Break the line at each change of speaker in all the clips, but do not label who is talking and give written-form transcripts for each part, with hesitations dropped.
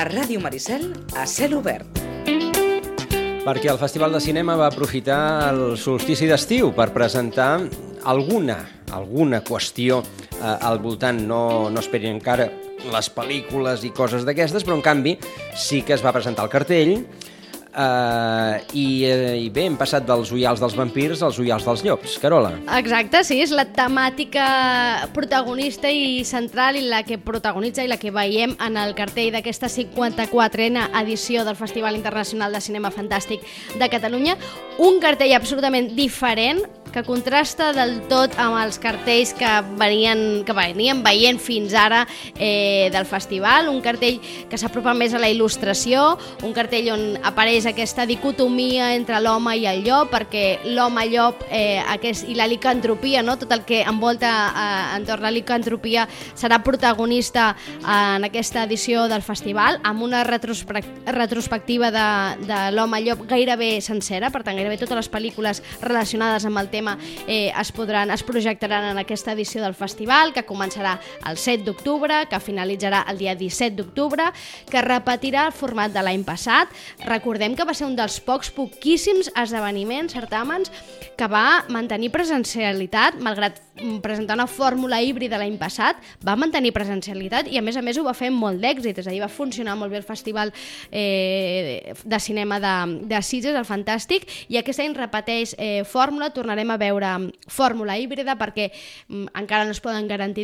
A Ràdio Maricel, a cel obert.
Perquè el Festival de Cinema va aprofitar el solstici d'estiu per presentar alguna qüestió al voltant. No esperin encara les pel·lícules i coses d'aquestes, però en canvi sí que es va presentar el cartell i bé, hem passat dels ullals dels vampirs als ullals dels llops. Carola.
Exacte, sí, és la temàtica protagonista i central i la que protagonitza i la que veiem en el cartell d'aquesta 54a edició del Festival Internacional de Cinema Fantàstic de Catalunya. Un cartell absolutament diferent que contrasta del tot amb els cartells que veníem veient fins ara del festival, un cartell que s'apropa més a la il·lustració, un cartell on apareix aquesta dicotomia entre l'home i el llop, perquè l'home-llop i la licantropia, no? Tot el que envolta entorn la licantropia serà protagonista en aquesta edició del festival, amb una retrospectiva de l'home-llop gairebé sencera, per tant gairebé totes les pel·lícules relacionades amb el tema es projectaran en aquesta edició del festival, que començarà el 7 d'octubre, que finalitzarà el dia 17 d'octubre, que repetirà el format de l'any passat. Recordem que va ser un dels poquíssims esdeveniments, certàmens, que va mantenir presencialitat, malgrat presentar una fórmula híbrida l'any passat, va mantenir presencialitat i a més ho va fer amb molt d'èxit, és a dir, va funcionar molt bé el Festival de Cinema de Sitges, el Fantàstic, i aquest any repeteix fórmula, tornarem a veure fórmula híbrida perquè encara no es poden garantir,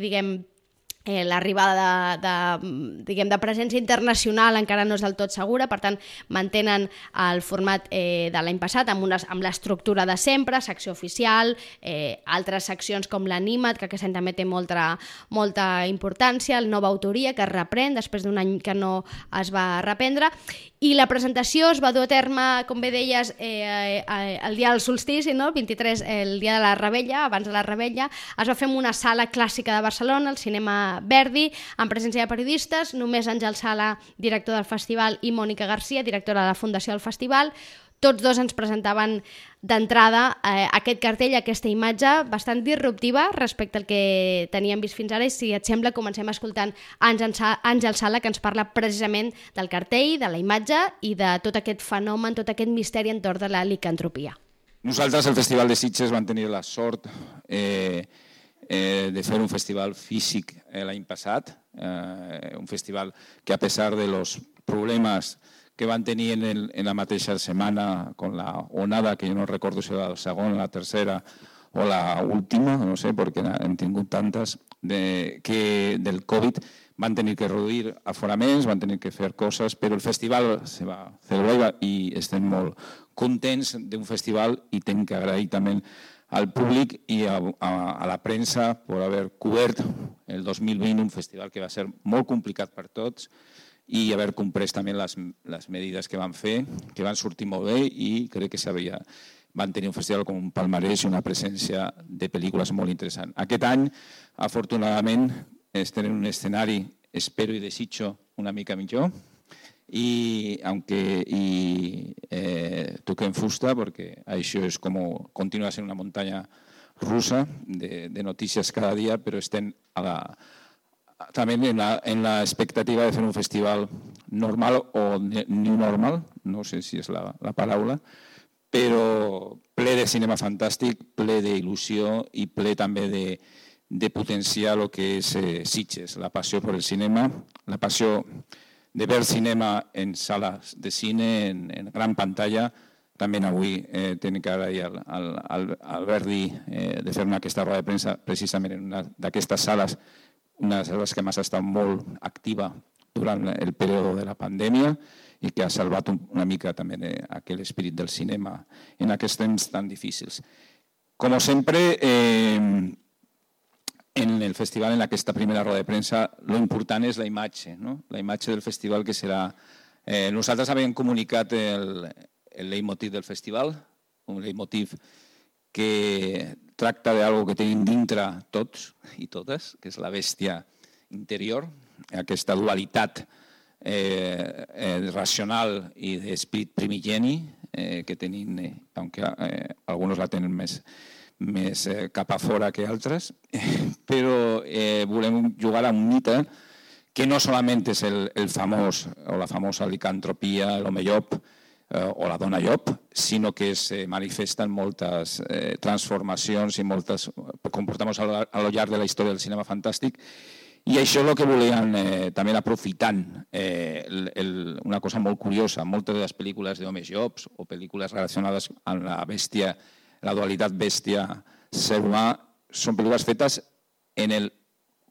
l'arribada de presència internacional encara no és del tot segura, per tant mantenen el format de l'any passat amb l'estructura de sempre, secció oficial, altres seccions com l'Anima't, que aquest any també té molta importància, el Nova Autoria, que es reprèn després d'un any que no es va reprendre, i la presentació es va dur a terme, com bé deies, el dia del solstici, no? El 23, el dia de la Revetlla, abans de la Revetlla, es va fer en una sala clàssica de Barcelona, el Cinema Verdi, en presència de periodistes, només Àngel Sala, director del festival, i Mònica Garcia, directora de la Fundació del Festival. Tots dos ens presentaven d'entrada aquest cartell, aquesta imatge bastant disruptiva respecte al que teníem vist fins ara, i si et sembla comencem escoltant Àngel Sala, que ens parla precisament del cartell, de la imatge i de tot aquest fenomen, tot aquest misteri entorn de la licantropia.
Nosaltres, al Festival de Sitges, vam tenir la sort de fer un festival físic l'any passat, un festival que, a pesar de los problemes que van tenir en la mateixa setmana con la onada, que jo no recordo si era la segona, la tercera o la última, no sé, perquè hem tingut tantes, del Covid, van tenir que reduir aforaments, van tenir que fer coses, però el festival se va celebrar i estem molt contents d'un festival i hem que agrair també al públic i a la premsa per haver cobert el 2020 un festival que va ser molt complicat per tots i haver comprès també les medides que van fer, que van sortir molt bé i crec que van tenir un festival com un palmarès i una presència de pel·lícules molt interessant. Aquest any, afortunadament, estem en un escenari, espero i desitjo, una mica millor, y toquem fusta porque això és com continua sent una muntanya russa de notícies cada dia, però estem també en la expectativa de fer un festival normal o new normal, no sé si és la paraula, però ple de cinema fantàstic, ple d'il·lusió i ple també de potenciar el que és Sitges, la passió per el cinema, la passió de ver cinema en salas de cine, en gran pantalla. També avui tenim que agrair al Verdi de fer aquesta roda de premsa precisament en una d'aquestes sales, una de les sales que més ha estat molt activa durant el període de la pandèmia i que ha salvat una mica també aquell espírit del cinema en aquests temps tan difícils. Com sempre, en el festival, en aquesta primera roda de premsa, lo important és la imatge, no? La imatge del festival que serà... Nosaltres havíem comunicat el leitmotiv del festival, un leitmotiv que tracta d'algo que tenim dintre tots i totes, que és la bèstia interior, aquesta dualitat racional i d'esprit primigeni que tenim, aunque alguns la tenen més cap a fora que altres, però volem jugar a un mite que no solamente es el famoso o la famosa licantropia, l'home llop o la dona llop, sinó que se manifesta en moltes transformacions i moltes comportamos a lo llarg de la història del cinema fantàstic. I això és el que volien també aprofitant. Una cosa molt curiosa, moltes de les pel·lícules d'homes llops o pel·lícules relacionades amb la bèstia, la dualitat bèstia-ser humà, són pel·lícules fetes en el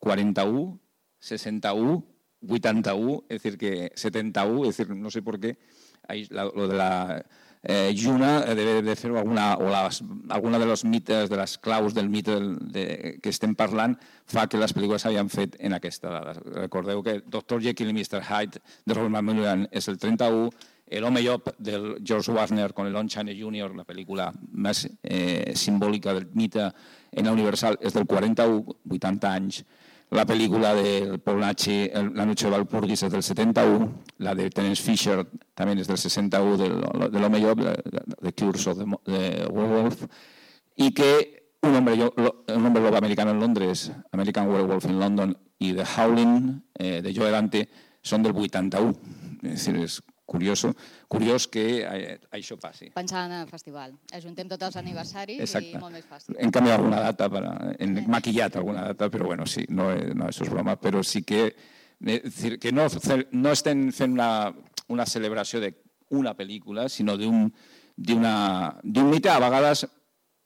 41, 61, 81, es decir, que 71, es decir, no sé por qué, lo de la Lluna debe de fer alguna de los mites, de les claus del mite que estem parlant, fa que les pel·lícules s'havien fet en aquesta dada. Recordeu que Dr. Jekyll i Mr. Hyde de Robert McMillan és el 31, El home llop del George Warner con el Lon Chaney Jr., la pel·lícula més simbòlica del mite en la Universal, és del 41, 80 anys. La pel·lícula del Paul Naschy, La noche de Walpurgis, és del 71, la de Terence Fisher també és del 61, de l'home llop, The Curse of the Werewolf, i que un hombre lobo americano en Londres, American Werewolf in London, i The Howling, de Joe Dante, són del 81. És a dir, és curiós que això passi.
Pensant en el festival. Ajuntem tots els aniversaris i molt més fàcil.
Hem canviat alguna data, hem maquillat alguna data, però bueno, sí, no, això és broma, però sí que no estem fent una celebració d'una pel·lícula, sinó d'un mite a vegades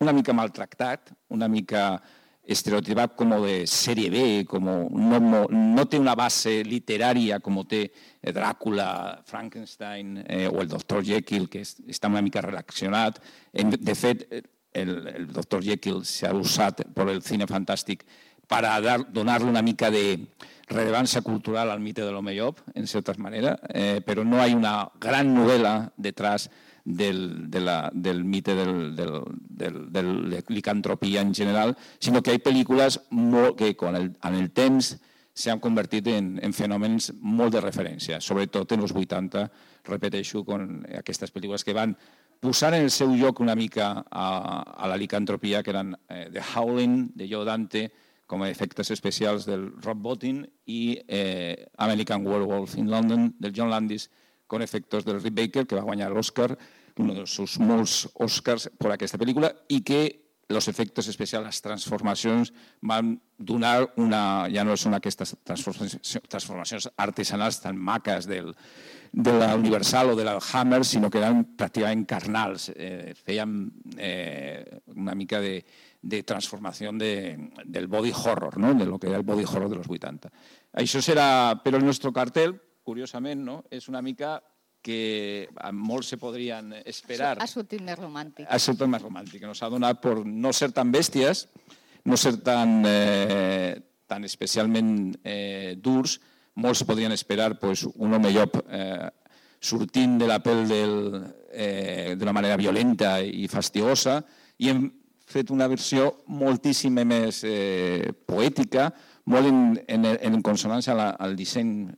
una mica maltractat, una mica estereotipat com de sèrie B, no té una base literària com té Dràcula, Frankenstein o el Dr. Jekyll, que està una mica relacionat. De fet, el Dr. Jekyll s'ha usat per el cine fantàstic per donar-li una mica de rellevància cultural al mite de l'home llop, en certa manera, però no hi ha una gran novel·la detrás del mite de licantropia en general, sinó que hi ha pel·lícules que amb el temps s'han convertit en fenòmens molt de referència, sobretot en els 80, repeteixo, amb aquestes pel·lícules que van posar en el seu lloc una mica a la licantropia, que eren The Howling, de Joe Dante, com a efectes especials del Rob Bottin, i American Werewolf in London, del John Landis, con efectos del Rick Baker, que va guanyar l'Oscar, uno de sus molts Oscars per aquesta pel·lícula, i que els efectes especials, les transformacions, van donar ja no són aquestes transformacions artesanals tan maques de la Universal o de la Hammer, sinó que eren pràcticament carnals. Feien una mica de transformació del body horror, de lo que era el body horror de los 80. Això serà, però el nostre cartel, curiosament, és una mica que molts se podrien esperar.
Ha sortit més romàntic.
Ha sortit més romàntic. Nos ha donat per no ser tan bèsties, no ser tan especialment durs. Molts podrien esperar un home llop sortint de la pell d'una manera violenta i fastiosa, i hem fet una versió moltíssim més poètica, molt en consonància al disseny,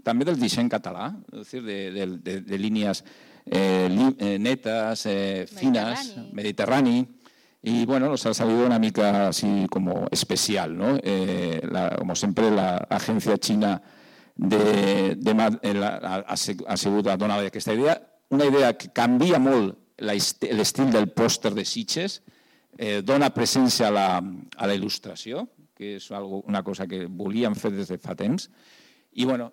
també del disseny català, és a dir, de línies netes, fines, mediterrani, y bueno, nos ha salido una mica así como especial, ¿no? Como siempre, la agencia china ha sigut donada aquesta idea, una idea que canvia molt l'estil del pòster de Sitges, dona presència a la il·lustració, que és una cosa que volíem fer des de fa temps, i bueno,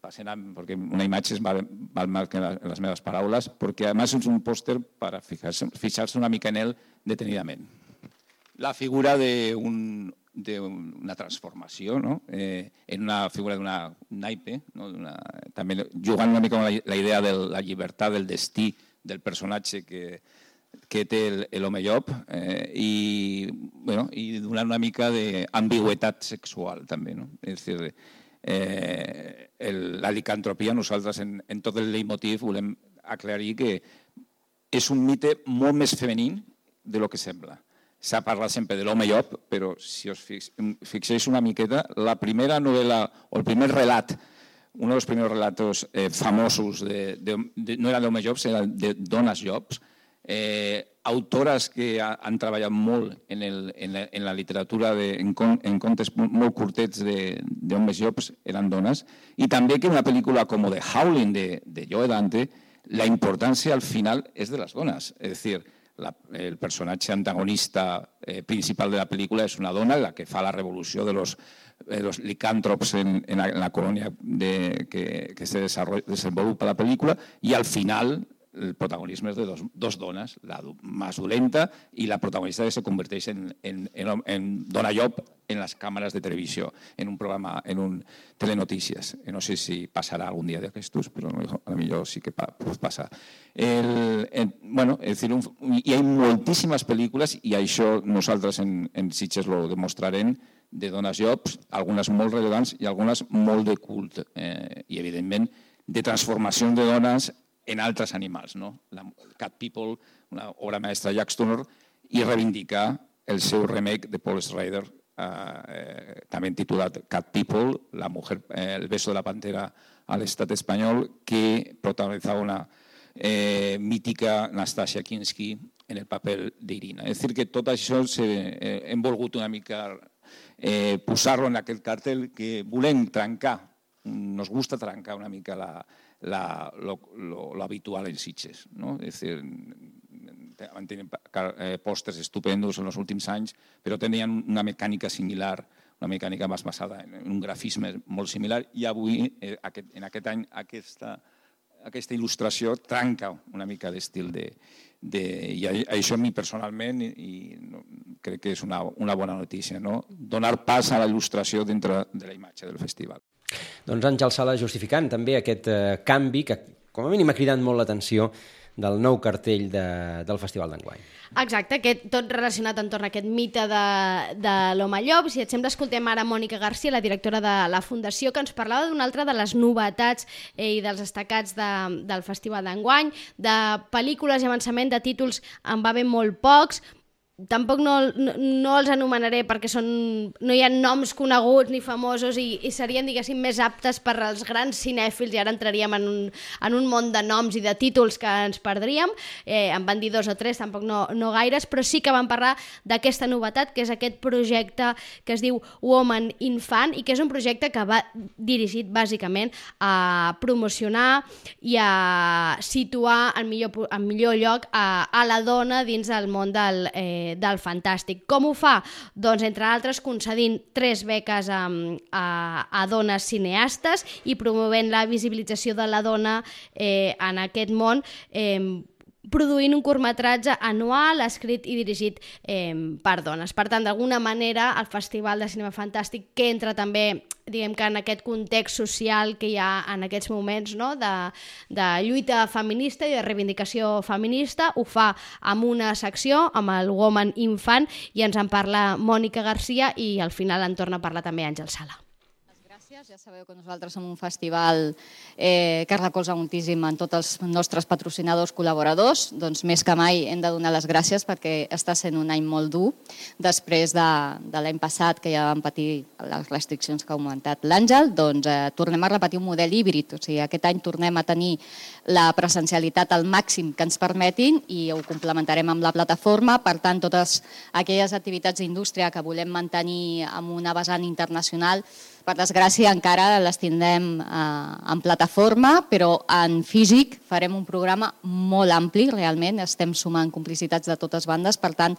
passem perquè una imatge val més que les meves paraules, perquè a més és un pòster per fixar-se una mica en ell detenidament. La figura d'una transformació, en una figura d'una naipe, també jugant una mica amb la idea de la llibertat, del destí del personatge que té l'home llop, i donar una mica d'ambigüitat sexual també. És a dir, la licantropia, nosaltres en tot el leitmotiv volem aclarir que és un mite molt més femení de lo que sembla. S'ha parlat sempre de l'home llop, però si us fixeu una miqueta, la primera novel·la o el primer relat, un dels primers relatos famosos no era d'home llops, era de dones llops, autores que han treballat molt en la literatura en contes molt curtets d'homes llops eren dones, i també que una pel·lícula com The Howling de Joe Dante, la importància al final és de les dones. És a dir, el personatge antagonista principal de la pel·lícula és una dona, la que fa la revolució de los licàntrops en la colònia que se desenvolupa la pel·lícula, i al final el protagonisme és de dos dones, la més dolenta i la protagonista que se converteix en dona llop en les càmeres de televisió, en un programa, en un telenotícies. No sé si passarà algun dia d'aquestos, però potser sí que pot passar. Hi ha moltíssimes pel·lícules, i això nosaltres en Sitges ho demostrarem, de dones llops, algunes molt rellevants i algunes molt de cult, i evidentment de transformacions de dones en altres animals. Cat People, una obra mestra de Jack Turner, i reivindicar el seu remake de Paul Schrader, també titulat Cat People, el beso de la pantera a l'estat espanyol, que protagonitzava una mítica Nastasia Kinski en el paper d'Irina. És a dir, que tot això hem volgut una mica posar-lo en aquest cartell que volem trencar, nos gusta trencar una mica lo habitual en Sitges. És a dir, van tenir pòsters estupendos en els últims anys, però tenien una mecànica similar, una mecànica més basada en un grafisme molt similar, i avui, en aquest any, aquesta il·lustració trenca una mica l'estil i això a mi personalment crec que és una bona notícia, donar pas a la il·lustració dintre de la imatge del festival.
Doncs Àngel Sala justificant també aquest canvi que com a mínim ha cridat molt l'atenció del nou cartell del Festival d'enguany.
Exacte, tot relacionat entorn a aquest mite de l'home llop. Si et sembla, escoltem ara Mònica Garcia, la directora de la Fundació, que ens parlava d'una altra de les novetats i dels destacats del Festival d'enguany, de pel·lícules i avançament de títols en va haver molt pocs. Tampoc no els anomenaré perquè no hi ha noms coneguts ni famosos i serien, diguéssim, més aptes per als grans cinèfils, i ara entraríem en un món de noms i de títols que ens perdríem. En van dir 2 o 3, tampoc no gaires, però sí que van parlar d'aquesta novetat, que és aquest projecte que es diu Woman in Fan, i que és un projecte que va dirigit bàsicament a promocionar i a situar en millor lloc a la dona dins del món del fantàstic. Com ho fa? Doncs, entre altres, concedint 3 beques a dones cineastes i promovent la visibilització de la dona en aquest món, produint un curtmetratge anual escrit i dirigit per dones. Per tant, d'alguna manera, el Festival de Cinema Fantàstic, que entra també, diguem que en aquest context social que hi ha en aquests moments, de lluita feminista i de reivindicació feminista, ho fa amb una secció, amb el Woman in Fan, i ens en parla Mònica Garcia, i al final en torna a parlar també Àngel Sala.
Ja sabeu que nosaltres som un festival que recolza moltíssim en tots els nostres patrocinadors col·laboradors. Doncs més que mai hem de donar les gràcies perquè està sent un any molt dur. Després de l'any passat, que ja vam patir les restriccions que ha augmentat l'Àngel, doncs tornem a repetir un model híbrid. O sigui, aquest any tornem a tenir la presencialitat al màxim que ens permetin i ho complementarem amb la plataforma. Per tant, totes aquelles activitats d'indústria que volem mantenir amb una vessant internacional, per desgràcia, encara les tindrem en plataforma, però en físic farem un programa molt ampli, realment. Estem sumant complicitats de totes bandes, per tant,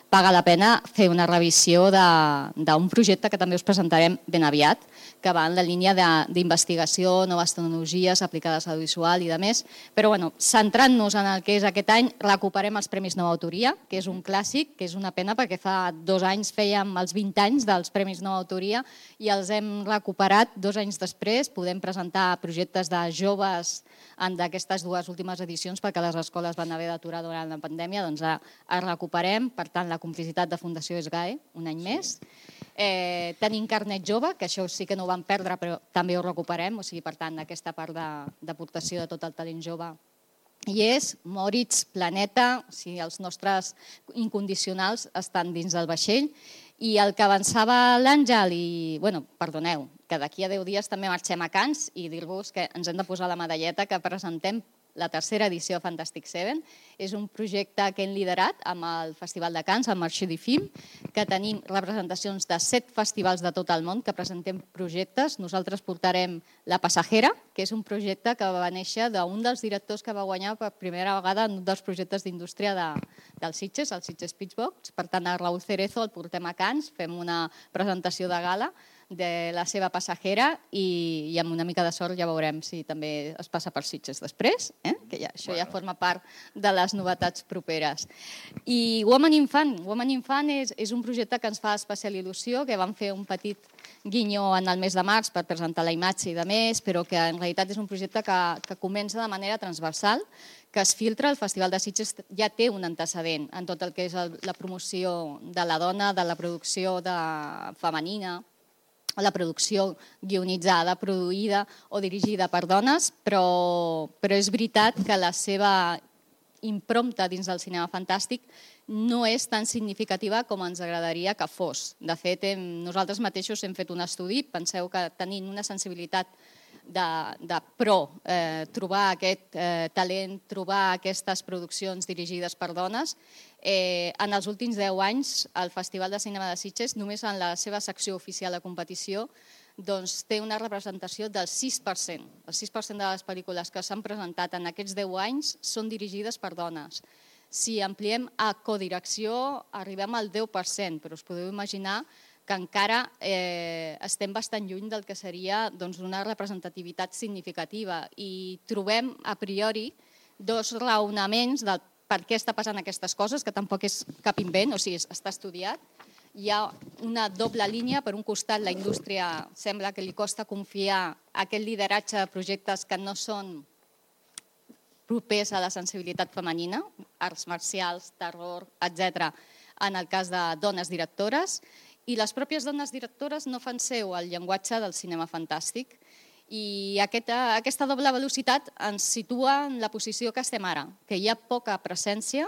paga la pena fer una revisió d'un projecte que també us presentarem ben aviat, que va en la línia d'investigació, noves tecnologies aplicades a l'audiovisual i demés. Però, centrant-nos en el que és aquest any, recuperem els Premis Nova Autoria, que és un clàssic, que és una pena perquè fa 2 anys fèiem els 20 anys dels Premis Nova Autoria i els hem recuperat 2 anys després. Podem presentar projectes de joves d'aquestes 2 últimes edicions perquè les escoles van haver d'aturar durant la pandèmia, doncs els recuperem. Per tant, la complicitat de Fundació SGAE, un any més. Tenim carnet jove, que això sí que no ho vam perdre, però també ho recuperem. O sigui, per tant, aquesta part d'aportació de tot el talent jove hi és. Moritz, Planeta, o sigui, els nostres incondicionals estan dins del vaixell. I el que avançava l'Àngel, i, perdoneu, que d'aquí a 10 dies també marxem a Cannes, i dir-vos que ens hem de posar la medalleta que presentem la tercera edició de Fantastic Seven. És un projecte que hem liderat amb el Festival de Cannes, el Marché du Film, que tenim representacions de 7 festivals de tot el món que presentem projectes. Nosaltres portarem La Passajera, que és un projecte que va néixer d'un dels directors que va guanyar per primera vegada en un dels projectes d'indústria del Sitges, el Sitges Pitchbox. Per tant, a Raúl Cerezo el portem a Cannes, fem una presentació de gala de La seva Passajera i amb una mica de sort ja veurem si també es passa per Sitges després, que això ja forma part de les novetats properes. I Woman Infant és un projecte que ens fa especial il·lusió, que vam fer un petit guinyó en el mes de març per presentar la imatge i de més, però que en realitat és un projecte que comença de manera transversal, que es filtra. El Festival de Sitges ja té un antecedent en tot el que és la promoció de la dona, de la producció femenina, la producció guionitzada, produïda o dirigida per dones, però és veritat que la seva impronta dins del cinema fantàstic no és tan significativa com ens agradaria que fos. De fet, nosaltres mateixos hem fet un estudi, penseu que tenint una sensibilitat trobar aquest talent, trobar aquestes produccions dirigides per dones. En els últims 10 anys, el Festival de Cinema de Sitges, només en la seva secció oficial de competició, té una representació del 6%. El 6% de les pel·lícules que s'han presentat en aquests 10 anys són dirigides per dones. Si ampliem a codirecció, arribem al 10%, però us podeu imaginar que encara estem bastant lluny del que seria una representativitat significativa i trobem a priori 2 raonaments del per què està passant aquestes coses, que tampoc és cap invent, o sigui, està estudiat. Hi ha una doble línia. Per un costat, la indústria sembla que li costa confiar aquest lideratge de projectes que no són propers a la sensibilitat femenina, arts marcials, terror, etc., en el cas de dones directores, i les pròpies dones directores no fan seu el llenguatge del cinema fantàstic. I aquesta doble velocitat ens situa en la posició que estem ara, que hi ha poca presència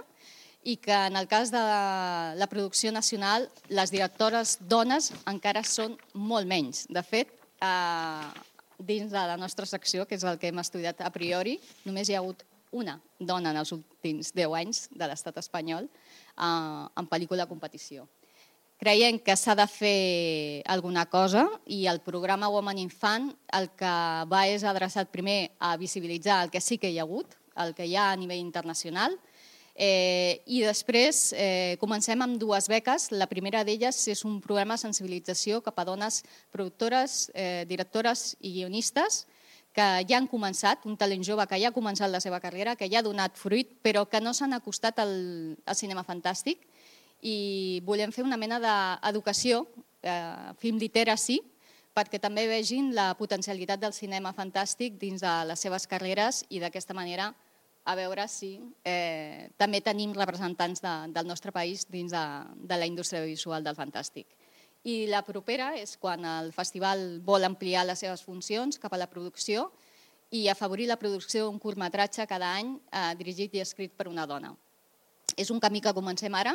i que en el cas de la producció nacional les directores dones encara són molt menys. De fet, dins de la nostra secció, que és el que hem estudiat a priori, només hi ha hagut una dona en els últims 10 anys de l'estat espanyol en pel·lícula de competició. Creiem que s'ha de fer alguna cosa i el programa Woman Infant el que va és adreçat primer a visibilitzar el que sí que hi ha hagut, el que hi ha a nivell internacional, i després comencem amb 2 beques. La primera d'elles és un programa de sensibilització cap a dones productores, directores i guionistes que ja han començat, un talent jove que ja ha començat la seva carrera, que ja ha donat fruit, però que no s'han acostat al cinema fantàstic. I volem fer una mena d'educació, film literacy, perquè també vegin la potencialitat del cinema fantàstic dins de les seves carreres i d'aquesta manera a veure si també tenim representants del nostre país dins de la indústria visual del fantàstic. I la propera és quan el festival vol ampliar les seves funcions cap a la producció i afavorir la producció d'un curtmetratge cada any dirigit i escrit per una dona. És un camí que comencem ara,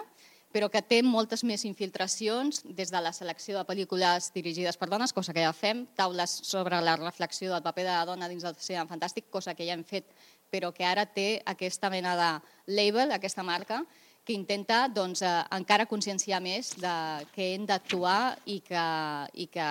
però que té moltes més infiltracions des de la selecció de pel·lícules dirigides per dones, cosa que ja fem, taules sobre la reflexió del paper de la dona dins del cinema fantàstic, cosa que ja hem fet, però que ara té aquesta mena de label, aquesta marca, que intenta encara conscienciar més que hem d'actuar i que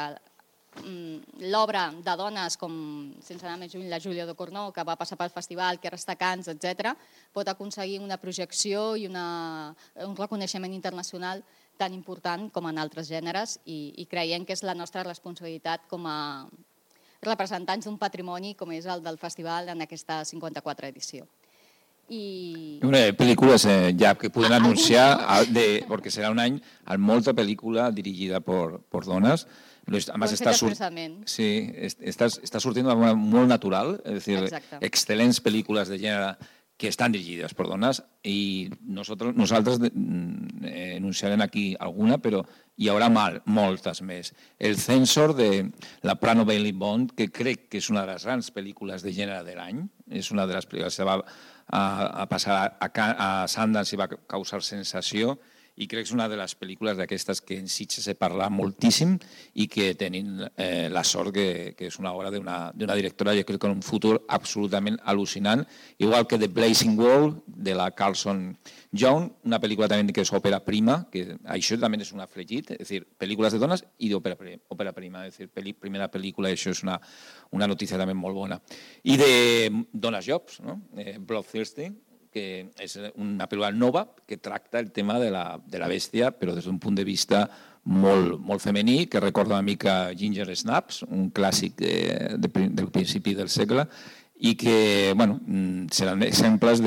l'obra de dones com, sense anar més lluny, la Júlia Ducournau, que va passar pel festival, que ara està a Cannes, etc., pot aconseguir una projecció i un reconeixement internacional tan important com en altres gèneres i creiem que és la nostra responsabilitat com a representants d'un patrimoni com és el del festival en aquesta 54 edició.
Películas ya que pueden anunciar, porque será un any amb molta pel·lícula dirigida por dones. Además, está surtiendo de manera muy natural, es decir, excelentes películas de género que están dirigidas por donas y nosotros anunciarem aquí alguna, però hi haurà moltes més. El Censor de la Prano Bailey Bond, que crec que és una de les grans pel·lícules de gènere de l'any, és una de les pel·lícules que va a passar a Sundance i va causar sensació i crec que és una de les pel·lícules d'aquestes que en Sitges se parla moltíssim i que tenim la sort que és una obra d'una directora, jo crec que en un futur absolutament al·lucinant, igual que The Blazing World, de la Carlson Young, una pel·lícula també que és òpera prima, que això també és un afegit, és a dir, pel·lícules de dones i d'òpera prima, és a dir, primera pel·lícula, això és una notícia també molt bona. I de Dones Jobs, no? Bloodthirsty, que és una pel·lícula nova que tracta el tema de la bèstia, però des d'un punt de vista molt femení, que recorda una mica Ginger Snaps, un clàssic del principi del segle, i que seran exemples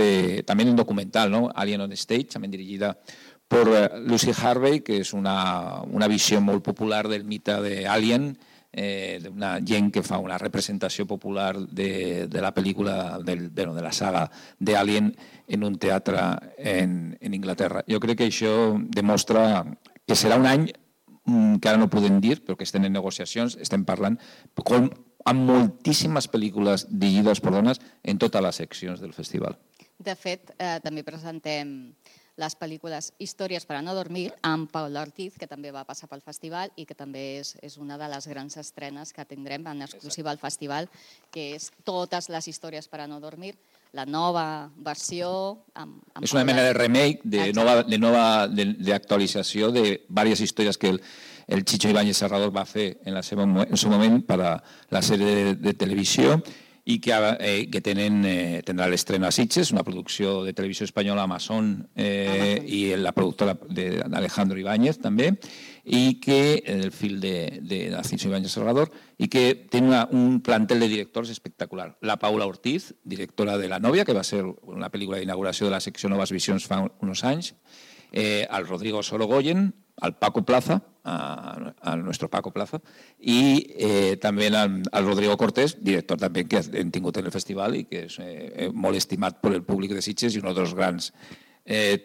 també d'un documental, no? Alien on Stage, també dirigida per Lucy Harvey, que és una visió molt popular del mite d'Alien, d'una gent que fa una representació popular de la pel·lícula, de la saga d'Alien en un teatre en Inglaterra. Jo crec que això demostra que serà un any que ara no podem dir, però que estem en negociacions, estem parlant amb moltíssimes pel·lícules dirigides per dones en totes les seccions del festival.
De fet, també presentem les pel·lícules Històries per a no dormir amb Paula Ortiz, que també va passar pel festival i que també és una de les grans estrenes que tindrem en exclusiva al festival, que és Totes les històries per a no dormir, la nova versió.
És una mena de remake, d'actualització de diverses històries que el Chicho Ibáñez Serrador va fer en el seu moment per a la sèrie de televisió i que tindrà l'estrena a Sitges, una producció de televisió espanyola Amazon i la productora d'Alejandro Ibáñez també, i que el fill de Narciso Ibáñez Serrador, i que té un plantel de directors espectacular. La Paula Ortiz, directora de La Novia, que va ser una pel·lícula d'inauguració de la secció Noves Visions fa uns anys, al Rodrigo Sorogoyen, al Paco Plaza, a nuestro Paco Plaza, i també al Rodrigo Cortés, director també que hem tingut en el festival i que és molt estimat per el públic de Sitges i un dels grans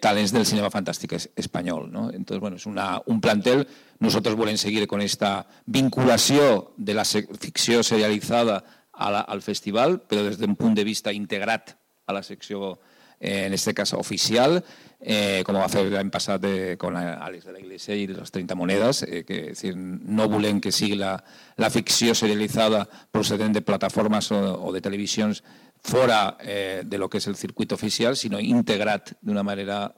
talents del cinema fantàstic espanyol. Entonces, bueno, es un plantel. Nosotros volem seguir con esta vinculació de la ficció serialitzada al festival, però des d'un punt de vista integrat a la secció, en este cas oficial, com va fer l'any passat con Àlex de la Iglesia i les 30 monedes, que no volem que sigui la ficció serialitzada procedent de plataformes o de televisions fora de lo que és el circuit oficial, sinó integrat d'una manera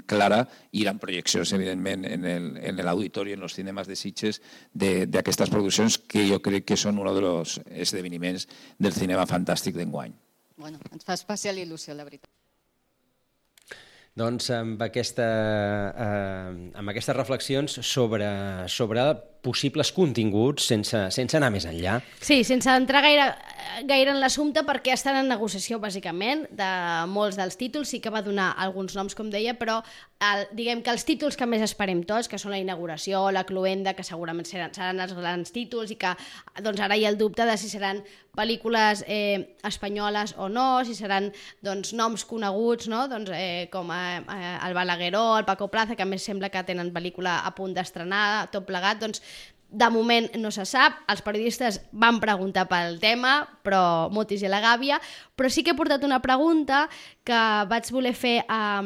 clara i amb projeccions, evidentment, en l'auditori, en els cinemes de Sitges, d'aquestes produccions que jo crec que són un dels esdeveniments del cinema fantàstic d'enguany.
Bueno, ens fa especial il·lusió, la veritat.
Doncs amb aquestes reflexions sobre possibles continguts sense anar més enllà.
Sí, sense entrar gaire en l'assumpte, perquè estan en negociació, bàsicament, de molts dels títols. Sí que va donar alguns noms, com deia, però diguem que els títols que més esperem tots, que són la inauguració, la cloenda, que segurament seran els grans títols i que doncs, ara hi ha el dubte de si seran pel·lícules espanyoles o no, si seran noms coneguts, no? Com el Balagueró, el Paco Plaza, que a més sembla que tenen pel·lícula a punt d'estrenar, tot plegat, de moment no se sap. Els periodistes van preguntar pel tema, però motis i la gàbia, però sí que he portat una pregunta que vaig voler fer a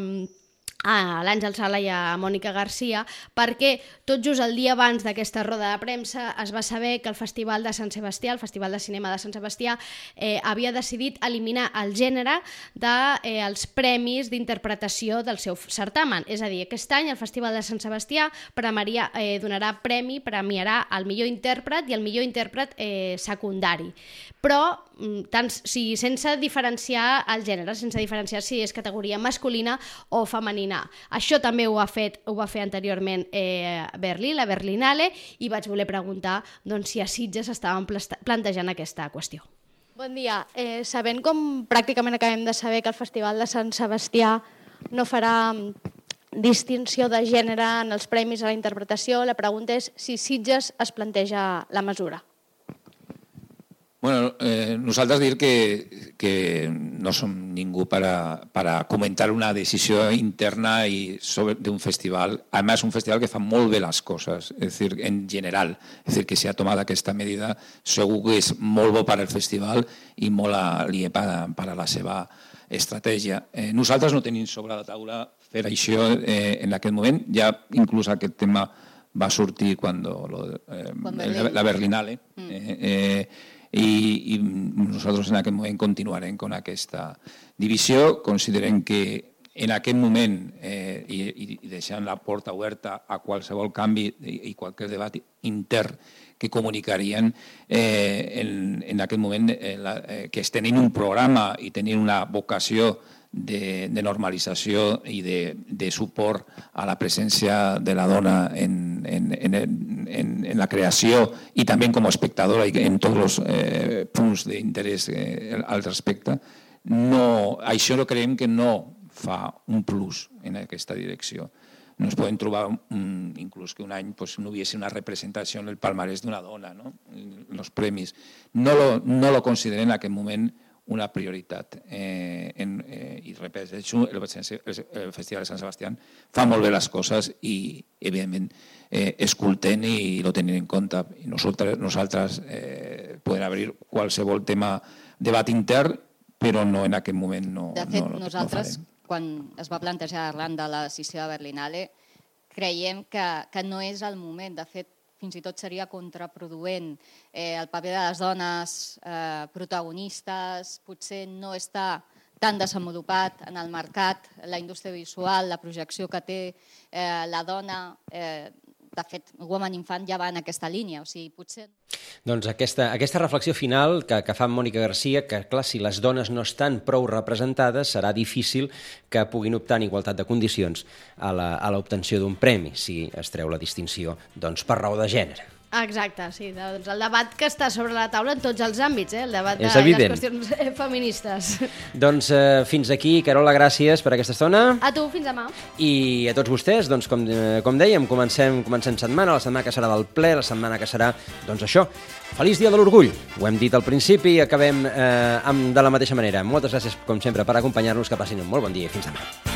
l'Àngel Sala i a Mònica Garcia, perquè tot just el dia abans d'aquesta roda de premsa es va saber que el Festival de Sant Sebastià, el Festival de Cinema de Sant Sebastià, havia decidit eliminar el gènere dels premis d'interpretació del seu certamen. És a dir, aquest any el Festival de Sant Sebastià premiarà el millor intèrpret i el millor intèrpret secundari. Però sense diferenciar el gènere, sense diferenciar si és categoria masculina o femenina. Això també ho va fer anteriorment Berlí, la Berlinale, i vaig voler preguntar si a Sitges estaven plantejant aquesta qüestió. Bon dia. Sabent com pràcticament acabem de saber que el Festival de Sant Sebastià no farà distinció de gènere en els premis a la interpretació, la pregunta és si Sitges es planteja la mesura.
Bueno, nosaltres dir que no som ningú per a comentar una decisió interna d'un festival. A més, un festival que fa molt bé les coses, és dir, en general. És dir, que si ha tomat aquesta medida segur que és molt bo per al festival i molt aliè per a la seva estratègia. Nosaltres no tenim sobre la taula fer això en aquest moment, ja inclús aquest tema va sortir quan la Berlinale, i nosaltres en aquest moment continuarem amb aquesta divisió. Considerem que en aquest moment, i deixant la porta oberta a qualsevol canvi i qualsevol debat intern que comunicarien, en aquest moment que es tenint un programa i tenint una vocació de normalització i de suport a la presència de la dona en la creació i també com a espectadora i en tots els punts d'interès al respecte, això creiem que no fa un plus en aquesta direcció. No ens podem trobar inclús que un any no hi hagués una representació en el palmarès d'una dona, els premis. No lo considerem en aquest moment una prioritat. I repeteixo, el Festival de Sant Sebastià fa molt bé les coses i, evidentment, escoltem i ho tenim en compte. Nosaltres podem obrir qualsevol tema, debat intern, però no en aquest moment no farem.
De fet, nosaltres, quan es va plantejar arran de la sessió de Berlinale, creiem que no és el moment. De fet, fins i tot seria contraproduent. El paper de les dones protagonistes potser no està tan desenvolupat en el mercat, la indústria visual, la projecció que té la dona. De fet, Woman Infant ja va en aquesta línia, o sigui, potser...
Doncs aquesta reflexió final que fa Mònica Garcia, que clar, si les dones no estan prou representades, serà difícil que puguin optar en igualtat de condicions a l'obtenció d'un premi, si es treu la distinció per raó de gènere.
Exacte, sí. Doncs el debat que està sobre la taula en tots els àmbits, el debat de les qüestions feministes.
Doncs fins aquí, Carola, gràcies per aquesta estona.
A tu, fins demà.
I a tots vostès, doncs com dèiem, comencem setmana, la setmana que serà del ple, la setmana que serà, doncs això, Feliç Dia de l'Orgull. Ho hem dit al principi i acabem de la mateixa manera. Moltes gràcies, com sempre, per acompanyar-nos, que passin un molt bon dia i fins demà.